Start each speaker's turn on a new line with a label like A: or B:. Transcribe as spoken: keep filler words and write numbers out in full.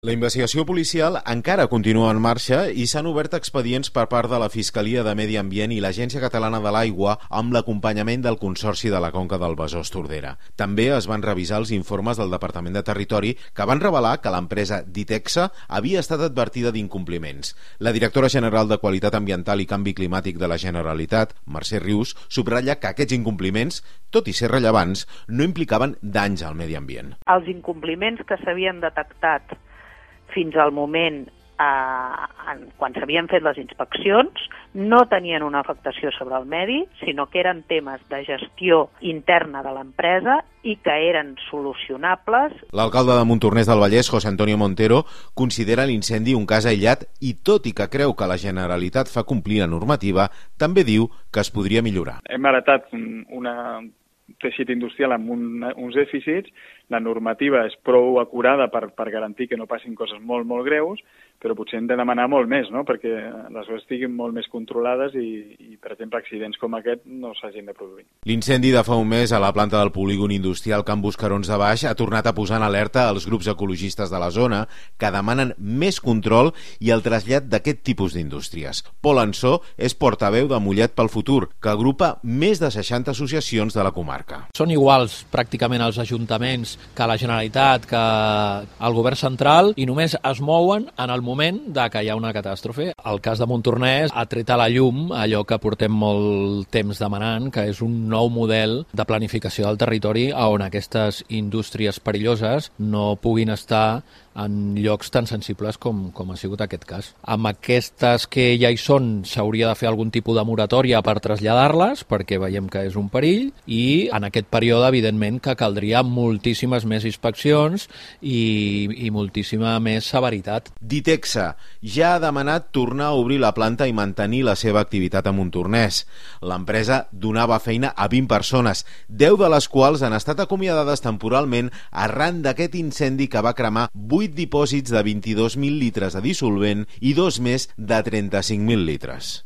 A: La investigació policial encara continua en marxa i s'han obert expedients per part de la Fiscalia de Medi Ambient i l'Agència Catalana de l'Aigua amb l'acompanyament del Consorci de la Conca del Besòs-Tordera. També es van revisar els informes del Departament de Territori que van revelar que l'empresa Ditexa havia estat advertida d'incompliments. La directora general de Qualitat Ambiental i Canvi Climàtic de la Generalitat, Mercè Rius, subratlla que aquests incompliments, tot i ser rellevants, no implicaven danys al medi ambient.
B: Els incompliments que s'havien detectat fins al moment eh, quan s'havien fet les inspeccions no tenien una afectació sobre el medi, sinó que eren temes de gestió interna de l'empresa i que eren solucionables.
A: L'alcalde de Montornès del Vallès, José Antonio Montero, considera l'incendi un cas aïllat i, tot i que creu que la Generalitat fa complir la normativa, també diu que es podria millorar.
C: Hem heretat una teixit industrial amb un, uns dèficits, la normativa és prou acurada per, per garantir que no passin coses molt, molt greus, però potser hem de demanar molt més, no?, perquè les coses estiguin molt més controlades i, i, per exemple, accidents com aquest no s'hagin de produir.
A: L'incendi de fa un mes a la planta del polígon industrial Can Buscarons de Baix ha tornat a posar en alerta els grups ecologistes de la zona que demanen més control i el trasllat d'aquest tipus d'indústries. Pol Ansó és portaveu de Mollet pel Futur, que agrupa més de seixanta associacions de la comarca.
D: Són iguals pràcticament els ajuntaments que la Generalitat, que el govern central, i només es mouen en el moment de que hi ha una catàstrofe. El cas de Montornès ha tret a la llum allò que portem molt temps demanant, que és un nou model de planificació del territori on aquestes indústries perilloses no puguin estar en llocs tan sensibles com, com ha sigut aquest cas. Amb aquestes que ja hi són s'hauria de fer algun tipus de moratòria per traslladar-les, perquè veiem que és un perill, i en aquest període, evidentment, que caldria moltíssimes més inspeccions i, i moltíssima més severitat.
A: Ditexa ja ha demanat tornar a obrir la planta i mantenir la seva activitat a Montornès. L'empresa donava feina a vint persones, deu de les quals han estat acomiadades temporalment arran d'aquest incendi que va cremar vuit dipòsits de vint-i-dos mil litres de dissolvent i dos més de trenta-cinc mil litres.